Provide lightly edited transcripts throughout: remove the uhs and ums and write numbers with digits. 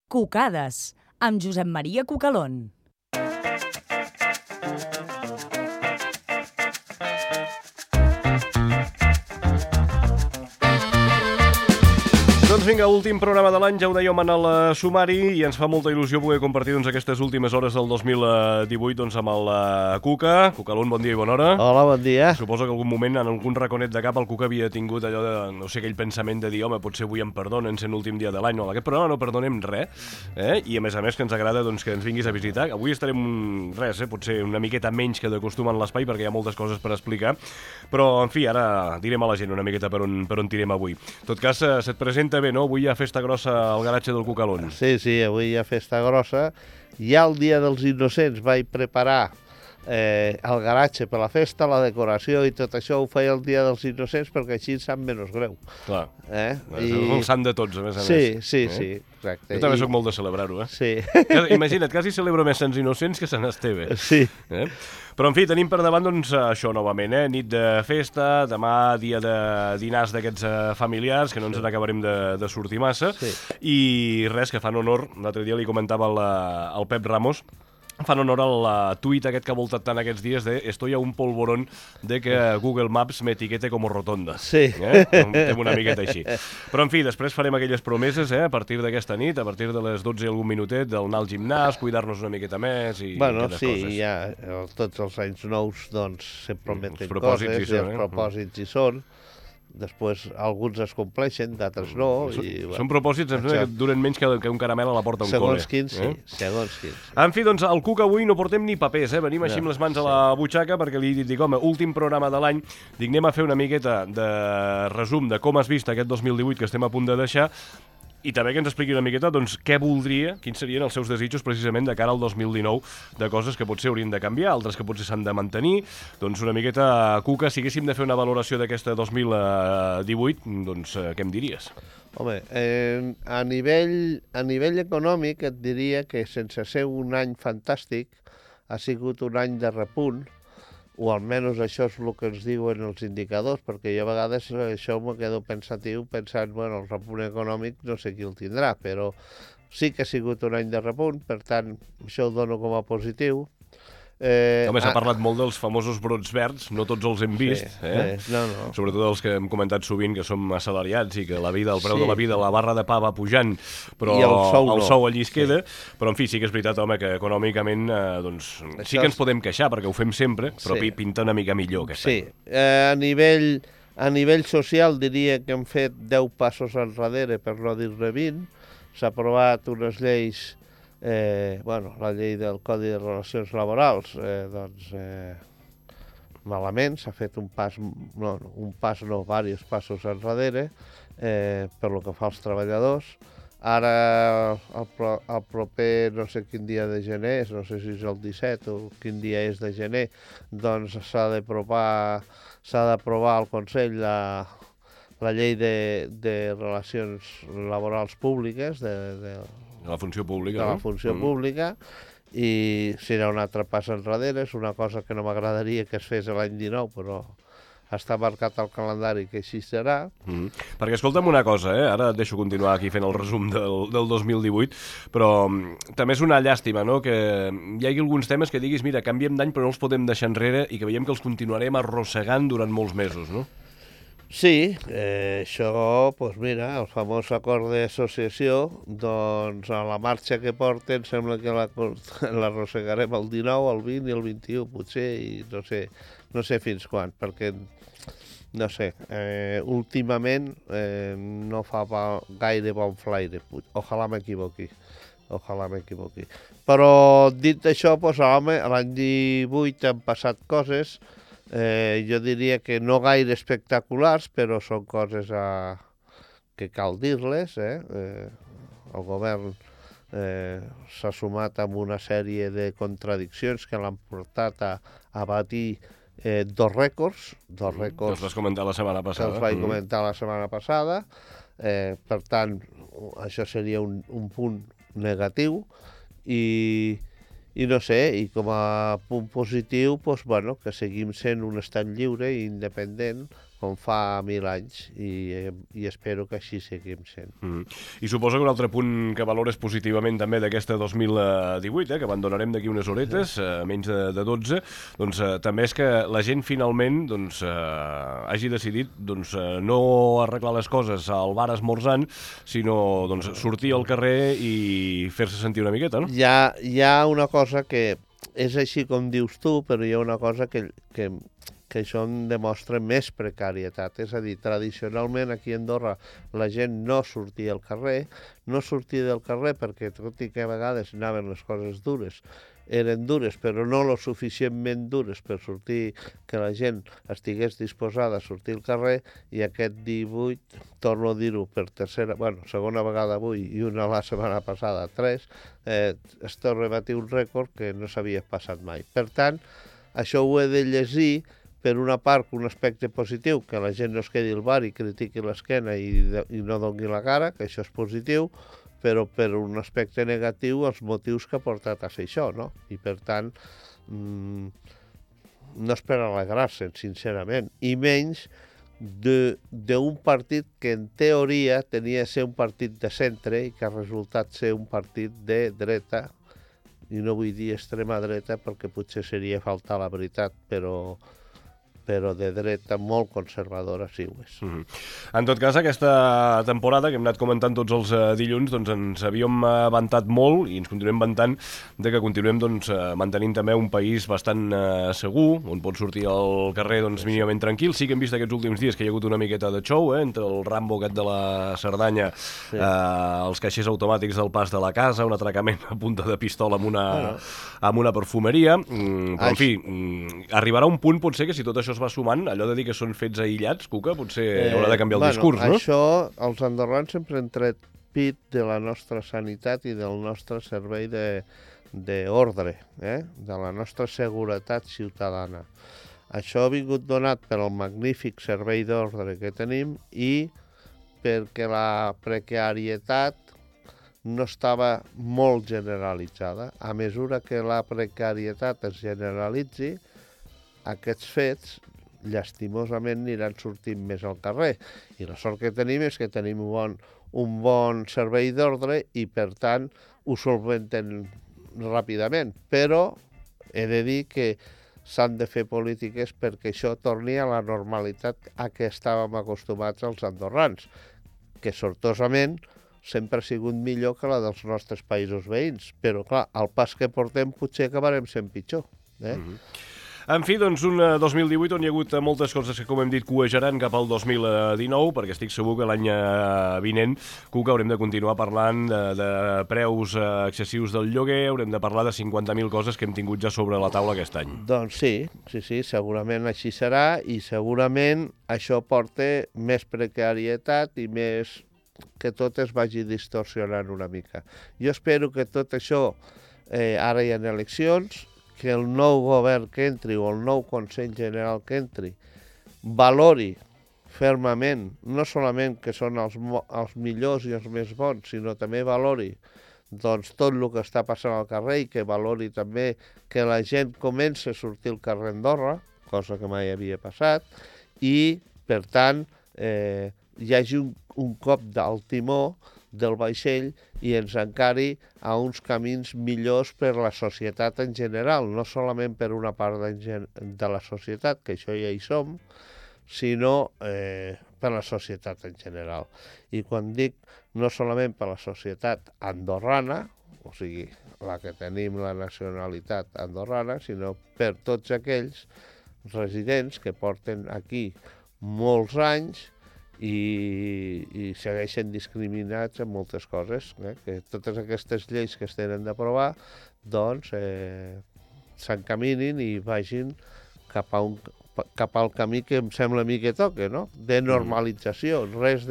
Cucades, amb Josep Maria Cucalón. Doncs vinga, últim programa de l'any, ja ho dèiem en el sumari, i ens fa molta il·lusió poder compartir aquestes últimes hores del 2018 amb el Cuca. Cucalón, bon dia i bona hora. Hola, bon dia. Suposo que algun moment, en algun raconet de cap, el Cuca havia tingut allò de, no sé, aquell pensament de dir, home, potser avui em perdonen sent l'últim dia de l'any. No, en aquest programa no perdonem res, i a més que ens agrada que ens vinguis a visitar. Avui estarem, potser una miqueta menys que de costum en l'espai, perquè hi ha moltes coses per explicar, però, en fi, ara direm a la gent una miqueta per on tirem avui. En tot cas, se't presenta bé, no? Avui hi ha festa grossa al garatge del Cucalón. Sí, avui hi ha festa grossa. Ja el dia dels Innocents vaig preparar el garatge per la festa, la decoració i tot això ho feia el dia dels Innocents perquè així em sap menys greu. Clar, és el sant de tots, a més a més. Sí, exacte. Jo també soc molt de celebrar-ho, Sí. Imagina't, quasi celebro més Sants Innocents que Sant Esteve. Sí. Però, en fi, tenim per davant, doncs, això novament, nit de festa, demà dia de dinars d'aquests familiars, que no ens n'acabarem de sortir massa, i res, que fan honor, l'altre dia li comentava al Pep Ramos, fan honor al tuit aquest que ha voltat tant aquests dies de «Estoy a un polvorón de que Google Maps m'etiquete com rotonda». Sí. Fem una miqueta així. Però, en fi, després farem aquelles promeses, a partir d'aquesta nit, a partir de les 12 i algun minutet, d'anar al gimnàs, cuidar-nos una miqueta més i aquelles coses. Sí, ja tots els anys nous doncs se prometen propòsits coses i els propòsits hi són. Després alguns es compleixen, d'altres no. Són propòsits que duren menys que un caramel a la porta d'un col·le. Segons quins, sí. Segons quins. En fi, doncs, al Cuca avui no portem ni papers, venim així amb les mans a la butxaca, perquè li dic, home, últim programa de l'any, dic, anem a fer una miqueta de resum de com has vist aquest 2018 que estem a punt de deixar, i també que ens expliqui una miqueta doncs, què voldria, quins serien els seus desitjos precisament de cara al 2019, de coses que potser haurien de canviar, altres que potser s'han de mantenir. Doncs una miqueta, Cuca, si haguéssim de fer una valoració d'aquesta 2018, doncs què em diries? Home, a nivell econòmic et diria que sense ser un any fantàstic ha sigut un any de repunt, o almenys això és el que ens diuen els indicadors, perquè jo a vegades això me quedo pensatiu pensant, bueno, el repunt econòmic no sé qui el tindrà, però sí que ha sigut un any de repunt, per tant, això ho dono com a positiu. Home, s'ha parlat molt dels famosos brots verds, no tots els hem vist, No. Sobretot els que hem comentat sovint que som assalariats i que la vida, el preu de la vida, la barra de pa va pujant, però el sou allí es queda. Però, en fi, sí que és veritat, home, que econòmicament doncs, sí que ens podem queixar, perquè ho fem sempre, però pinta una mica millor aquest any. Sí, a nivell social diria que hem fet 10 passos enrere, per no dir-ne 20. S'ha aprovat unes lleis, la llei del Codi de Relacions Laborals, malament, s'ha fet diversos passos enrere per lo que fa als treballadors. Ara, el proper, no sé quin dia de gener, no sé si és el 17 o quin dia és de gener, doncs s'ha d'aprovar al Consell la llei de relacions laborals públiques, de la funció pública, la funció pública, i serà un altre pas enrere. És una cosa que no m'agradaria que es fes l'any 19, però està marcat al calendari que així serà. Perquè, escolta'm una cosa, ara et deixo continuar aquí fent el resum del 2018, però també és una llàstima, no?, que hi hagi alguns temes que diguis, mira, canviem d'any però no els podem deixar enrere i que veiem que els continuarem arrossegant durant molts mesos, no? Sí, això, doncs mira, el famós acord d'associació, doncs a la marxa que porten sembla que l'arrossegarem el 19, el 20 i el 21, potser, i no sé fins quan, perquè, no sé, últimament no fa gaire bon flaire, ojalà m'equivoqui. Però dit això, doncs, home, l'any 18 han passat coses. Jo diria que no gaire espectaculars, però són coses que cal dir-les. El govern s'ha sumat amb una sèrie de contradiccions que l'han portat a batir dos rècords. Que els vas comentar la setmana passada. Que els vaig comentar la setmana passada. Per tant, això seria un punt negatiu. I no sé, i com a punt positiu, doncs, bueno, que seguim sent un estat lliure i independent com fa 1000 anys, i espero que així seguim sent. I suposo que un altre punt que valores positivament també d'aquesta 2018, que abandonarem d'aquí unes horetes, menys de 12, doncs també és que la gent finalment hagi decidit no arreglar les coses al bar esmorzant, sinó sortir al carrer i fer-se sentir una miqueta, no? Hi ha una cosa que és així com dius tu, però hi ha una cosa que això en demostra més precarietat. És a dir, tradicionalment aquí a Andorra la gent no sortia al carrer, perquè tot i que a vegades anaven les coses dures, eren dures, però no lo suficientment dures per sortir, que la gent estigués disposada a sortir al carrer, i aquest 18, torno a dir-ho per segona vegada avui i una la setmana passada, 3, es torna a batir un rècord que no s'havia passat mai. Per tant, això ho he de llegir, per una part, un aspecte positiu, que la gent no es quedi al bar i critiqui l'esquena i no doni la cara, que això és positiu, però per un aspecte negatiu els motius que ha portat a fer això, no? I per tant, no és per alegrar-se'n, sincerament, i menys d'un partit que en teoria tenia de ser un partit de centre i que ha resultat ser un partit de dreta, i no vull dir extrema dreta perquè potser seria faltar la veritat, però de dreta molt conservadora sí ho és. En tot cas, aquesta temporada que hem anat comentant tots els dilluns, ens havíem vantat molt i ens continuem vantant de que continuem mantenint també un país bastant segur, on pots sortir al carrer mínimament tranquil. Sí que hem vist aquests últims dies que hi ha hagut una miqueta de show, entre el Rambo aquest de la Cerdanya, els caixers automàtics del Pas de la Casa, un atracament a punta de pistola amb una perfumeria, però en fi, arribarà un punt potser que si tot això va sumant, allò de dir que són fets aïllats, Cuca, potser haurà de canviar el discurs, no? Això, els andorrans sempre han tret pit de la nostra sanitat i del nostre servei d'ordre, de la nostra seguretat ciutadana. Això ha vingut donat pel magnífic servei d'ordre que tenim i perquè la precarietat no estava molt generalitzada. A mesura que la precarietat es generalitzi, aquests fets, llastimosament, aniran sortint més al carrer. I la sort que tenim és que tenim un bon servei d'ordre i, per tant, ho solventen ràpidament. Però he de dir que s'han de fer polítiques perquè això torni a la normalitat a què estàvem acostumats els andorrans, que sortosament sempre ha sigut millor que la dels nostres països veïns. Però, clar, al pas que portem potser acabarem sent pitjor. En fi, un 2018 on hi ha hagut moltes coses que, com hem dit, cuejaran cap al 2019, perquè estic segur que l'any vinent, Cuca, haurem de continuar parlant de preus excessius del lloguer, haurem de parlar de 50.000 coses que hem tingut ja sobre la taula aquest any. Doncs sí, segurament així serà, i segurament això porta més precarietat i més que tot es vagi distorsionant una mica. Jo espero que tot això, ara hi ha eleccions, que el nou govern que entri o el nou Consell General que entri valori fermament, no solament que són els millors i els més bons, sinó també valori tot el que està passant al carrer i que valori també que la gent comença a sortir al carrer Andorra, cosa que mai havia passat, i, per tant, hi hagi un cop del timó del vaixell i ens encari a uns camins millors per la societat en general, no solament per una part de la societat, que això ja hi som, sinó per la societat en general. I quan dic no solament per la societat andorrana, o sigui, la que tenim la nacionalitat andorrana, sinó per tots aquells residents que porten aquí molts anys i segueixen discriminats en moltes coses, que totes aquestes lleis que es tenen d'aprovar doncs s'encaminin i vagin cap al camí que em sembla a mi que toca, no? De normalització, res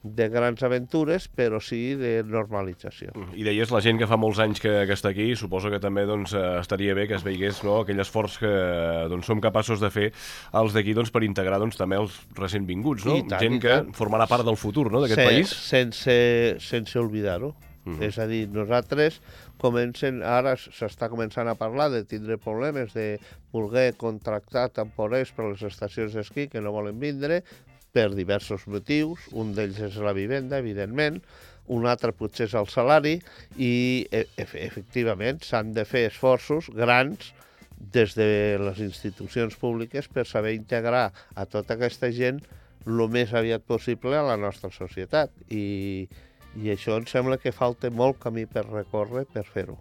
de grans aventures, però sí de normalització. I deies, la gent que fa molts anys que està aquí, suposo que també estaria bé que es veigués aquell esforç que som capaços de fer els d'aquí per integrar també els recent vinguts, no? Gent que formarà part del futur d'aquest país. Sense oblidar-ho. És a dir, nosaltres ara s'està començant a parlar de tindre problemes de voler contractar temporers per a les estacions d'esquí que no volen vindre per diversos motius. Un d'ells és la vivenda, evidentment, un altre potser és el salari i, efectivament, s'han de fer esforços grans des de les institucions públiques per saber integrar a tota aquesta gent el més aviat possible a la nostra societat. I això em sembla que falta molt camí per recórrer per fer-ho.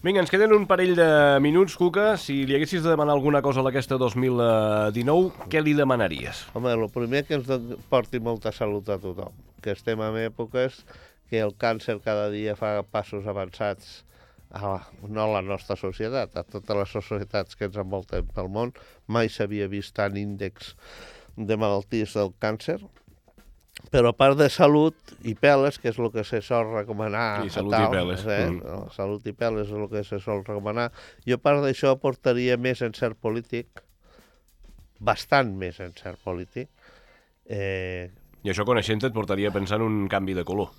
Vinga, ens queden un parell de minuts, Cuca. Si li haguessis de demanar alguna cosa a aquesta 2019, què li demanaries? Home, el primer que ens porti molta salut a tothom, que estem en èpoques que el càncer cada dia fa passos avançats, no a la nostra societat, a totes les societats que ens envolten pel món. Mai s'havia vist tant índex de malalties del càncer, però a part de salut i peles, que és el que se sol recomanar... Sí, salut i peles. Salut i peles és el que se sol recomanar. Jo a part d'això portaria més encert polític, bastant més encert polític. I això, coneixent-te, et portaria a pensar en un canvi de color.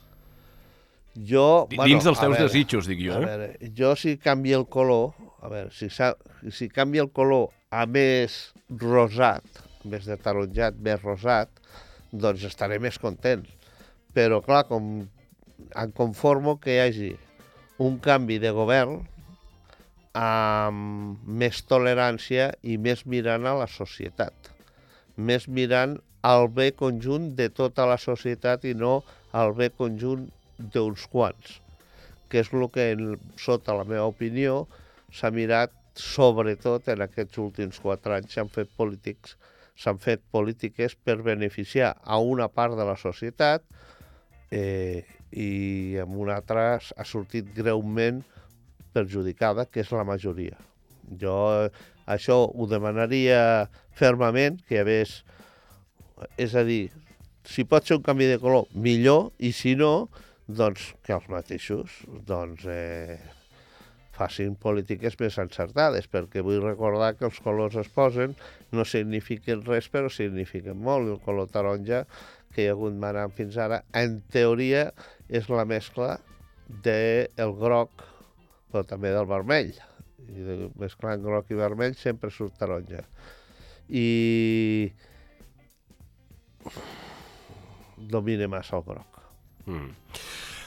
Dins dels teus desitjos, dic jo. A veure, jo si canvia el color, si canvia el color a més rosat, en vez de taronjat, més rosat, doncs estaré més content. Però, clar, em conformo que hi hagi un canvi de govern amb més tolerància i més mirant a la societat. Més mirant al bé conjunt de tota la societat i no al bé conjunt d'uns quants, que és el que, sota la meva opinió, s'ha mirat sobretot en aquests últims 4 anys. S'han fet polítiques per beneficiar a una part de la societat i en una altra ha sortit greument perjudicada, que és la majoria. Jo això ho demanaria fermament, que hi hagués... És a dir, si pot ser un canvi de color, millor, i si no, doncs que els mateixos facin polítiques més encertades, perquè vull recordar que els colors es posen, no signifiquen res, però signifiquen molt. El color taronja, que hi ha hagut manant fins ara, en teoria és la mescla del groc, però també del vermell. I mesclant groc i vermell sempre surt taronja. I domina massa el groc.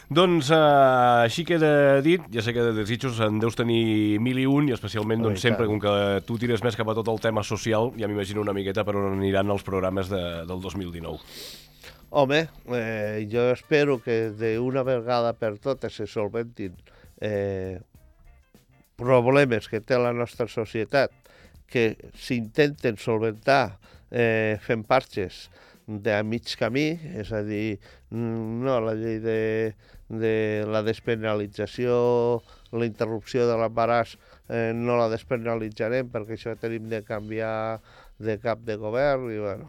Doncs així queda dit. Ja sé que de desitjos en deus tenir 1001 i especialment sempre, com que tu tires més cap a tot el tema social, ja m'imagino una miqueta per on aniran els programes del 2019. Home, jo espero que d'una vegada per totes se solventin problemes que té la nostra societat, que s'intenten solventar fent parxes de mig camí, és a dir, no, la llei de la despenalització, la interrupció de l'embaràs, no la despenalitzarem perquè això tenim de canviar de cap de govern, i bueno,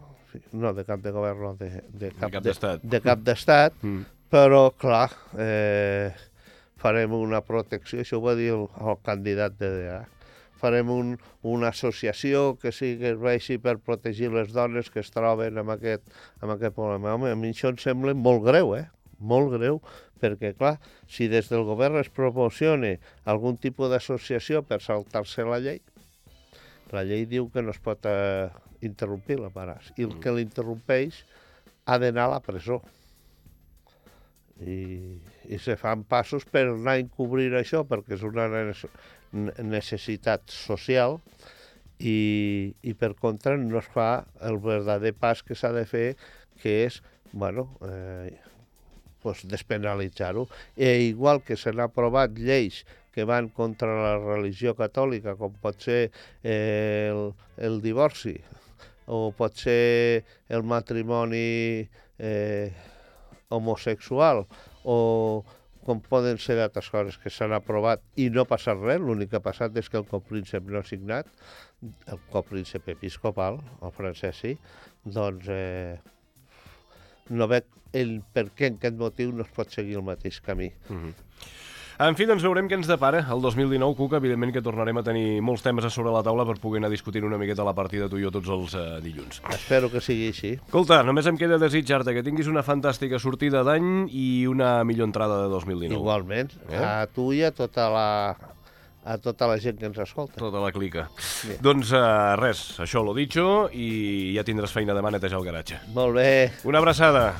no de cap de govern, no, de cap d'estat, però clar, farem una protecció, això ho va dir el candidat de DA, farem una associació que serveixi per protegir les dones que es troben amb aquest problema. Home, a mi això em sembla molt greu, molt greu, perquè, clar, si des del govern es promociona algun tipus d'associació per saltar-se la llei diu que no es pot interrompir l'embaràs, i el que l'interrompeix ha d'anar a la presó. I se fan passos per anar a encobrir això, perquè és una necessitat social, i per contra no es fa el verdader pas que s'ha de fer, que és, despenalitzar-ho. Igual que s'han aprovat lleis que van contra la religió catòlica, com pot ser el divorci, o pot ser el matrimoni homosexual, o com poden ser d'altres coses que s'han aprovat i no ha passat res. L'únic que ha passat és que el copríncep no ha signat, el copríncep episcopal, el francès sí, doncs no veig per què en aquest motiu no es pot seguir el mateix camí. En fi, doncs veurem què ens depara el 2019, Cuca. Evidentment que tornarem a tenir molts temes a sobre la taula per poder anar discutint una miqueta la partida tu i jo tots els dilluns. Espero que sigui així. Escolta, només em queda desitjar-te que tinguis una fantàstica sortida d'any i una millor entrada de 2019. Igualment, a tu i a tota la gent que ens escolta. Tota la clica. Bé. Doncs res, això lo dicho, i ja tindràs feina demà a netejar el garatge. Molt bé. Una abraçada.